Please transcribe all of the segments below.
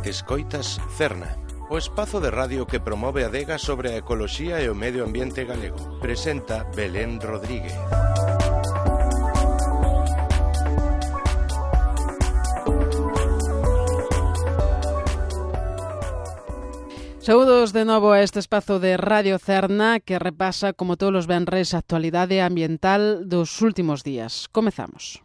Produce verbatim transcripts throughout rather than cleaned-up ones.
Escoitas Cerna, o espazo de radio que promove a adega sobre a ecoloxía e o medio ambiente galego. Presenta Belén Rodríguez. Saúdos de novo a este espazo de Radio Cerna que repasa, como todos os venres, a actualidade ambiental dos últimos días. Comezamos.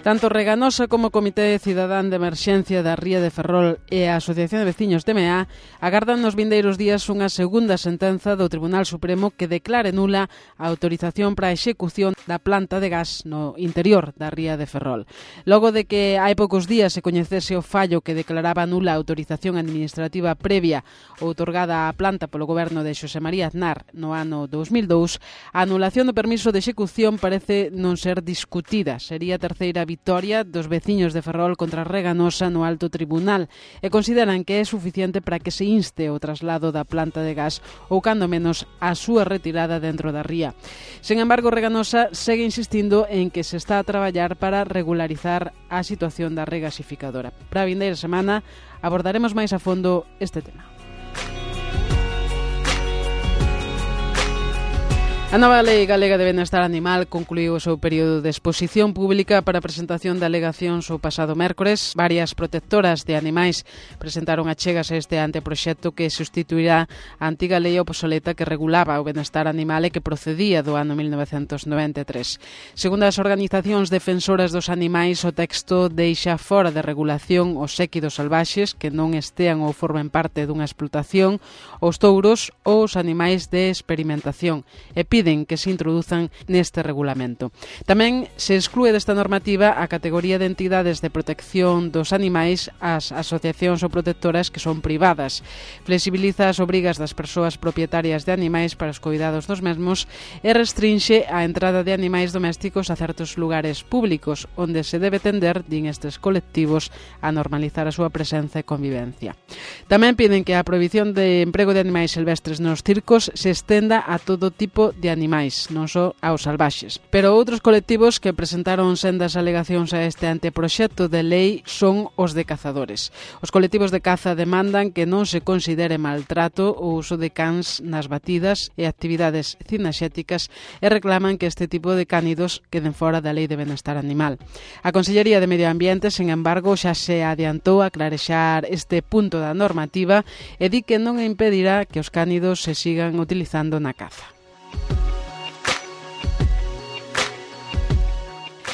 Tanto Reganosa como o Comité Cidadán de Emerxencia da Ría de Ferrol e a Asociación de Veciños de Meá agardan nos vindeiros días unha segunda sentenza do Tribunal Supremo que declare nula a autorización para a execución da planta de gas no interior da Ría de Ferrol. Logo de que hai poucos días se coñecese o fallo que declaraba nula a autorización administrativa previa outorgada á planta polo goberno de Xosé María Aznar no ano dous mil dous, a anulación do permiso de execución parece non ser discutida. Sería a terceira vitoria dos veciños de Ferrol contra Reganosa no alto tribunal e consideran que é suficiente para que se inste o traslado da planta de gas ou, cando menos, a súa retirada dentro da ría. Sen embargo, Reganosa segue insistindo en que se está a traballar para regularizar a situación da regasificadora. Para a vindeira semana abordaremos máis a fondo este tema. A nova Lei Galega de Benestar Animal concluiu o seu período de exposición pública para a presentación de alegacións o pasado mércores. Varias protectoras de animais presentaron achegas a este anteproxecto que sustituirá a antiga lei obsoleta que regulaba o benestar animal e que procedía do ano mil novecentos noventa e tres. Segundo as organizacións defensoras dos animais, o texto deixa fora de regulación os séquidos salvaxes que non estean ou formen parte dunha explotación, os touros ou os animais de experimentación e piden que se introduzan neste regulamento. Tamén se exclúe desta normativa a categoría de entidades de protección dos animais as asociacións ou protectoras que son privadas. Flexibiliza as obrigas das persoas propietarias de animais para os cuidados dos mesmos e restrinxe a entrada de animais domésticos a certos lugares públicos onde se debe tender, din estes colectivos, a normalizar a súa presenza e convivencia. Tamén piden que a prohibición de emprego de animais silvestres nos circos se estenda a todo tipo de animais, non só aos salvaxes. Pero outros colectivos que presentaron sendas alegacións a este anteproxecto de lei son os de cazadores. Os colectivos de caza demandan que non se considere maltrato o uso de cans nas batidas e actividades cinexéticas e reclaman que este tipo de cánidos queden fora da Lei de Benestar Animal. A Consellería de Medio Ambiente, sen embargo, xa se adiantou a clarexar este punto da normativa e di que non impedirá que os cánidos se sigan utilizando na caza.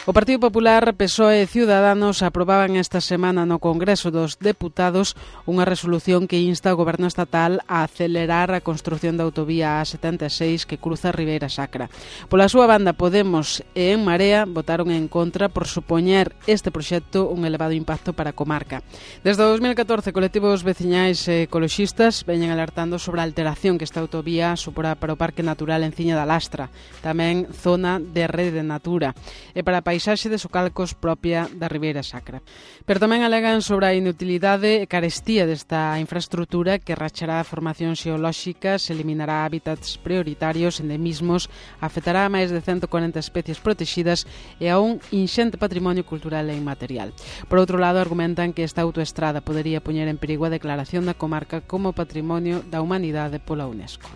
O Partido Popular, P S O E e Ciudadanos aprobaban esta semana no Congreso dos Deputados unha resolución que insta ao Goberno estatal a acelerar a construción da autovía A setenta e seis que cruza Ribeira Sacra. Pola súa banda, Podemos e En Marea votaron en contra por supoñer este proxecto un elevado impacto para a comarca. Desde o dos mil catorce, colectivos veciñais e ecoloxistas veñen alertando sobre a alteración que esta autovía suporá para o Parque Natural Enciña da Lastra, tamén zona de Rede Natura, e para a paisaxe de Socalcos propia da Ribeira Sacra. Pero tamén alegan sobre a inutilidade e carestía desta infraestrutura que rachará a formación xeolóxica, se eliminará hábitats prioritarios, endemismos, afectará a máis de ciento cuarenta especies protegidas e a un inxente patrimonio cultural e inmaterial. Por outro lado, argumentan que esta autoestrada podería poñer en perigo a declaración da comarca como Patrimonio da Humanidade pola UNESCO.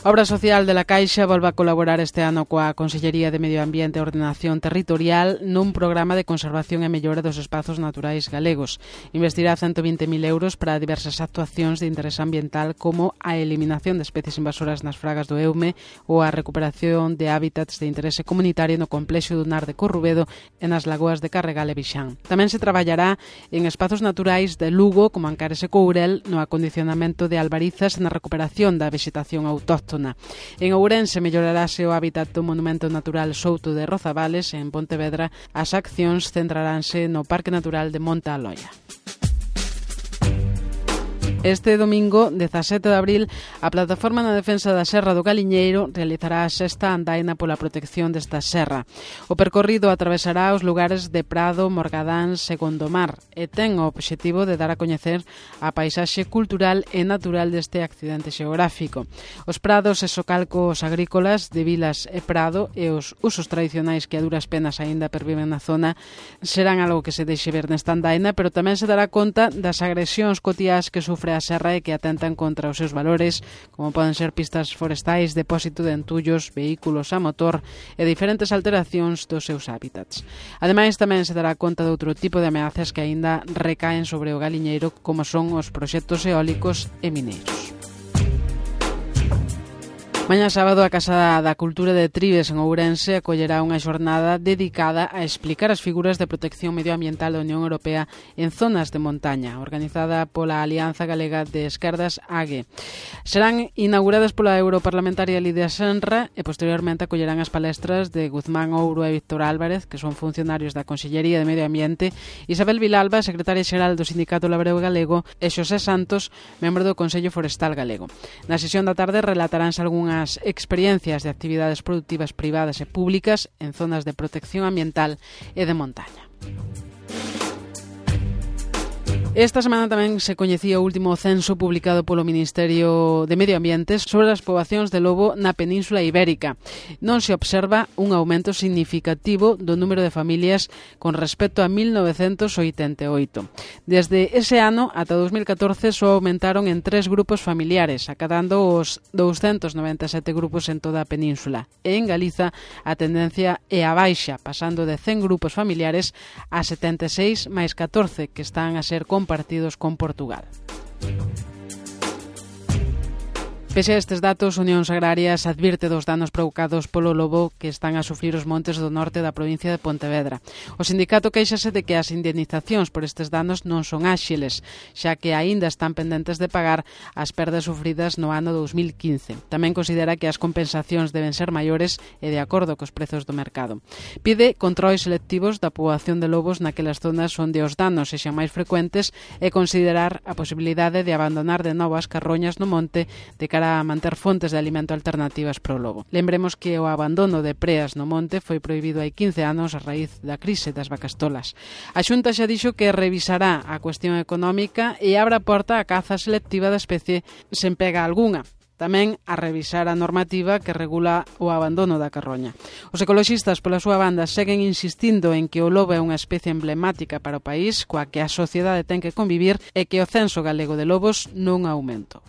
A Obra Social de la Caixa volve a colaborar este ano coa Consellería de Medio Ambiente e Ordenación Territorial nun programa de conservación e mellora dos espazos naturais galegos. Investirá ciento vinte mil euros para diversas actuacións de interés ambiental como a eliminación de especies invasoras nas fragas do Eume ou a recuperación de hábitats de interese comunitario no complexo dunar de Corrubedo e nas lagoas de Carregal e Vixán. Tamén se traballará en espazos naturais de Lugo como Ancares e Courel no acondicionamento de albarizas e na recuperación da vegetación autóctona. En Ourense mellorarase o hábitat do Monumento Natural Souto de Rozavales e en Pontevedra as accións centraránse no Parque Natural de Monte Aloia. Este domingo, dezasete de abril, a Plataforma na Defensa da Serra do Galiñeiro realizará a sexta andaina pola protección desta serra. O percorrido atravesará os lugares de Prado, Morgadáns e Gondomar e ten o obxectivo de dar a coñecer a paisaxe cultural e natural deste accidente xeográfico. Os prados e socalcos agrícolas de Vilas e Prado e os usos tradicionais que a duras penas aínda perviven na zona serán algo que se deixe ver nesta andaina, pero tamén se dará conta das agresións cotiás que sufre a serra e que atentan contra os seus valores, como poden ser pistas forestais, depósito de entullos, vehículos a motor e diferentes alteracións dos seus hábitats. Ademais, tamén se dará conta de outro tipo de ameazas que aínda recaen sobre o galiñeiro, como son os proxectos eólicos e mineiros. Mañá sábado, a Casa da Cultura de Trives en Ourense acollerá unha xornada dedicada a explicar as figuras de protección medioambiental da Unión Europea en zonas de montaña, organizada pola Alianza Galega de Esquerdas A G E. Serán inauguradas pola europarlamentaria Lidia Senra e posteriormente acollerán as palestras de Guzmán Ouro e Víctor Álvarez, que son funcionarios da Consellería de Medio Ambiente, Isabel Vilalba, secretaria xeral do Sindicato Labrego Galego, e Xosé Santos, membro do Consello Forestal Galego. Na sesión da tarde relataránse algunhas as experiencias de actividades productivas privadas e públicas en zonas de protección ambiental e de montaña. Esta semana tamén se coñecía o último censo publicado polo Ministerio de Medio Ambiente sobre as poboacións de lobo na Península Ibérica. Non se observa un aumento significativo do número de familias con respecto a mil novecentos oitenta e oito. Desde ese ano ata dos mil catorce só aumentaron en tres grupos familiares, acadando os douscentos noventa e sete grupos en toda a península. E en Galiza a tendencia é a baixa, pasando de cen grupos familiares a setenta e seis máis catorce que están a ser compartidos partidos con Portugal. Pese a estes datos, Unións Agrarias advirte dos danos provocados polo lobo que están a sufrir os montes do norte da provincia de Pontevedra. O sindicato queixase de que as indemnizacións por estes danos non son áxiles, xa que aínda están pendentes de pagar as perdas sufridas no ano dous mil quince. Tamén considera que as compensacións deben ser maiores e de acordo cos prezos do mercado. Pide controis selectivos da poboación de lobos naquelas zonas onde os danos sexan máis frecuentes e considerar a posibilidade de abandonar de novo as carroñas no monte de cara a manter fontes de alimento alternativas para o lobo. Lembremos que o abandono de preas no monte foi prohibido hai quince anos a raíz da crise das vacas tolas. A Xunta xa dixo que revisará a cuestión económica e abre a porta a caza selectiva da especie sen pega algunha. Tamén a revisar a normativa que regula o abandono da carroña. Os ecoloxistas, pola súa banda, seguen insistindo en que o lobo é unha especie emblemática para o país, coa que a sociedade ten que convivir e que o censo galego de lobos non aumento.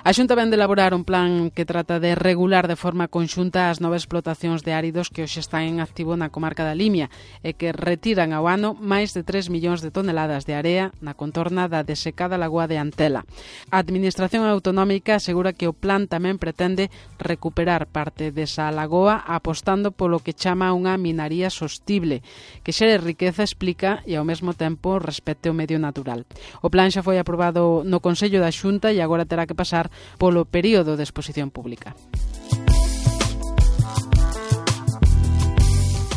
A Xunta vén de elaborar un plan que trata de regular de forma conxunta as novas explotacións de áridos que hoxe están en activo na comarca da Limia e que retiran ao ano máis de tres millóns de toneladas de area na contorna da desecada lagoa de Antela. A Administración Autonómica asegura que o plan tamén pretende recuperar parte desa lagoa apostando polo que chama unha minaría sostible, que xere riqueza, explica, e ao mesmo tempo respecte o medio natural. O plan xa foi aprobado no Consello da Xunta e agora terá que pasar polo período de exposición pública.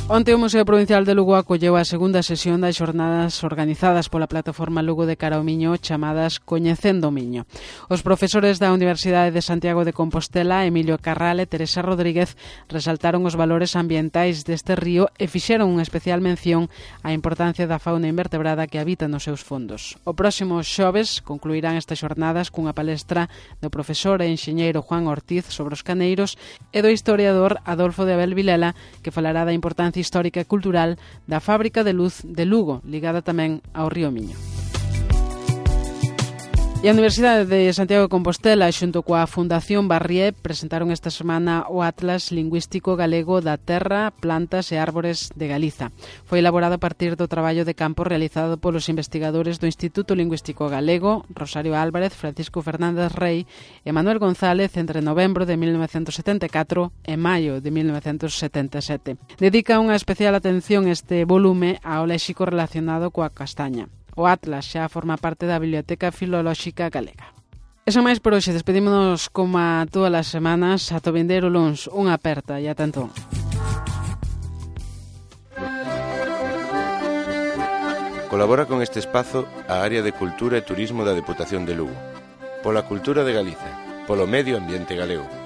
Onte o Museo Provincial de Lugo acolleu a segunda sesión das xornadas organizadas pola plataforma Lugo de Cara ao Miño chamadas Coñecendo o Miño. Os profesores da Universidade de Santiago de Compostela, Emilio Carral e Teresa Rodríguez, resaltaron os valores ambientais deste río e fixeron unha especial mención á importancia da fauna invertebrada que habita nos seus fondos. O próximo xoves concluirán estas xornadas cunha palestra do profesor e enxeñeiro Juan Ortiz sobre os caneiros e do historiador Adolfo de Abel Vilela, que falará da importancia histórica e cultural da fábrica de luz de Lugo, ligada tamén ao río Miño. E a Universidade de Santiago de Compostela, xunto coa Fundación Barrié, presentaron esta semana o Atlas Lingüístico Galego da Terra, Plantas e Árbores de Galiza. Foi elaborado a partir do traballo de campo realizado polos investigadores do Instituto Lingüístico Galego, Rosario Álvarez, Francisco Fernández Rey e Manuel González entre novembro de mil novecentos setenta e catro e maio de mil novecentos setenta e sete. Dedica unha especial atención este volume ao léxico relacionado coa castaña. O Atlas xa forma parte da Biblioteca Filolóxica Galega. Eso máis por hoxe. Despedímonos como a todas as semanas. Ata o vindeiro luns. Unha aperta e ata entón. Colabora con este espazo a área de Cultura e Turismo da Deputación de Lugo. Pola cultura de Galiza, polo medio ambiente galego.